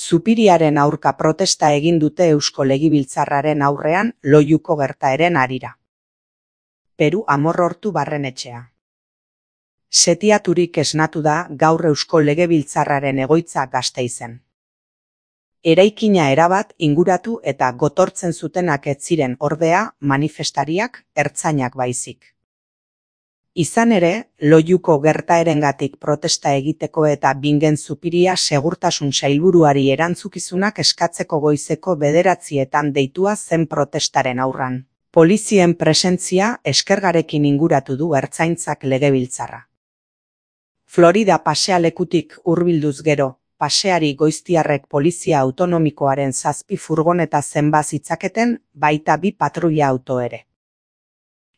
Zupiriaren aurka protesta egin dute Eusko Legebiltzarraren aurrean Loiuko gertaeren harira. Peru Amorrortu Barrenetxea. Setiaturik esnatu da gaur Eusko Legebiltzarraren egoitza Gasteizen. Eraikina erabat inguratu eta gotortzen zutenak ez ziren ordea manifestariak, ertzainak baizik. Izan ere, Loiuko gertaerengatik protesta egiteko eta Bingen Zupiria segurtasun sailburuari erantzukizunak eskatzeko goizeko 9:00 deitua zen protestaren aurran. Polizien presentzia eskergarekin inguratu du ertzaintzak legebiltzarra. Florida pasealekutik hurbilduz gero, paseari goiztiarrek polizia autonomikoaren 7 furgoneta zenba zitzaketen, baita 2 patruila auto ere.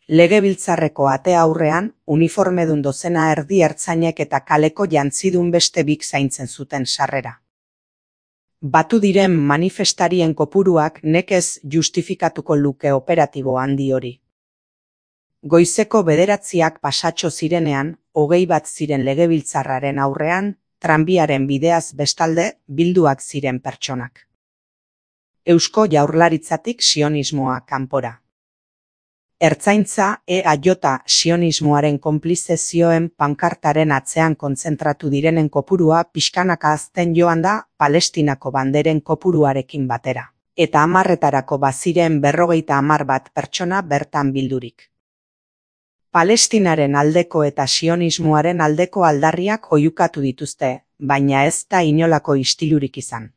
Legebiltzarreko ate aurrean, uniformedun dozena erdi ertzainek eta kaleko jantzidun beste bik zaintzen zuten sarrera. Batu diren manifestarien kopuruak nekez justifikatuko luke operatibo handi hori. Goizeko 9:00 pasatxo zirenean, 21 ziren legebiltzarraren aurrean, tranbiaren bideaz bestalde bilduak ziren pertsonak. Eusko Jaurlaritzatik sionismoa kanpora. Ertzaintza EAJ sionismoaren konplize zioen pankartaren atzean kontzentratu direnen kopurua pixkanaka hazten joan da Palestinako banderen kopuruarekin batera. Eta 10:00 baziren 50 bat pertsona bertan bildurik. Palestinaren aldeko eta sionismoaren aldeko aldarriak oihukatu dituzte, baina ez da inolako istilurik izan.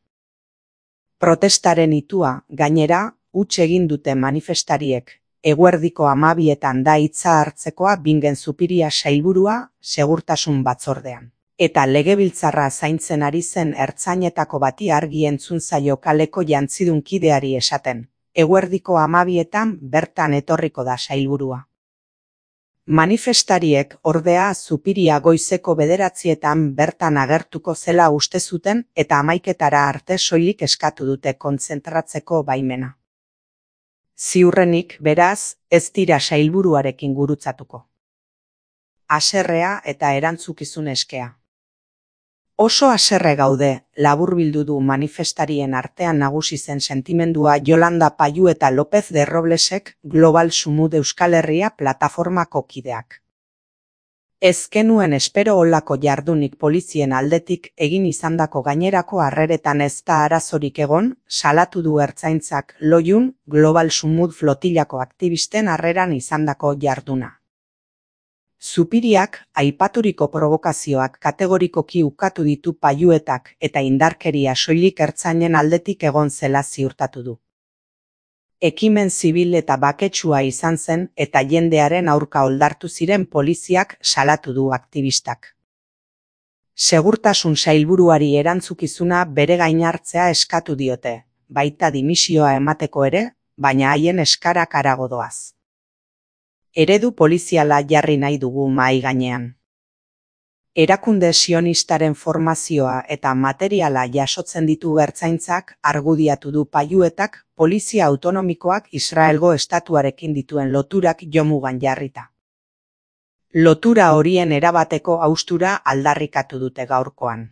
Protestaren itua, gainera, huts egin dute manifestariek. Eguerdiko 12:00 da hitza hartzekoa Bingen Zupiria sailburua segurtasun batzordean. Eta legebiltzarra zaintzen ari zen ertzainetako bati argi entzun zaio kaleko jantzidun kideari esaten. Eguerdiko 12:00 bertan etorriko da sailburua. Manifestariek ordea Zupiria goizeko 9:00 bertan agertuko zela uste zuten eta 11:00 arte soilik eskatu dute kontzentratzeko baimena. Ziurrenik, beraz, ez dira sailburuarekin gurutzatuko. Haserrea eta erantzukizun eskea. Oso haserre gaude, laburbildu du manifestarien artean nagusi zen sentimendua Yolanda Payu eta López de Roblesek Global Sumud Euskal Herria plataformako kideak. Ez genuen espero olako jardunik polizien aldetik egin izandako gainerako harreretan ez da arazorik egon, salatu du ertzaintzak Loiun Global Sumud flotilako aktivisten harreran izandako jarduna. Zupiriak aipaturiko provokazioak kategorikoki ukatu ditu Payuetak eta indarkeria soilik ertzainen aldetik egon zela ziurtatu du. Ekimen zibil eta baketsua izan zen eta jendearen aurka oldartu ziren poliziak salatu du aktivistak. Segurtasun sailburuari erantzukizuna bere gain hartzea eskatu diote, baita dimisioa emateko ere, baina haien eskarak harago doaz. Eredu poliziala jarri nahi dugu mahai gainean. Erakunde sionistaren formazioa eta materiala jasotzen ditu ertzaintzak argudiatu du Payuetak polizia autonomikoak Israelgo estatuarekin dituen loturak jomugan jarrita. Lotura horien erabateko haustura aldarrikatu dute gaurkoan.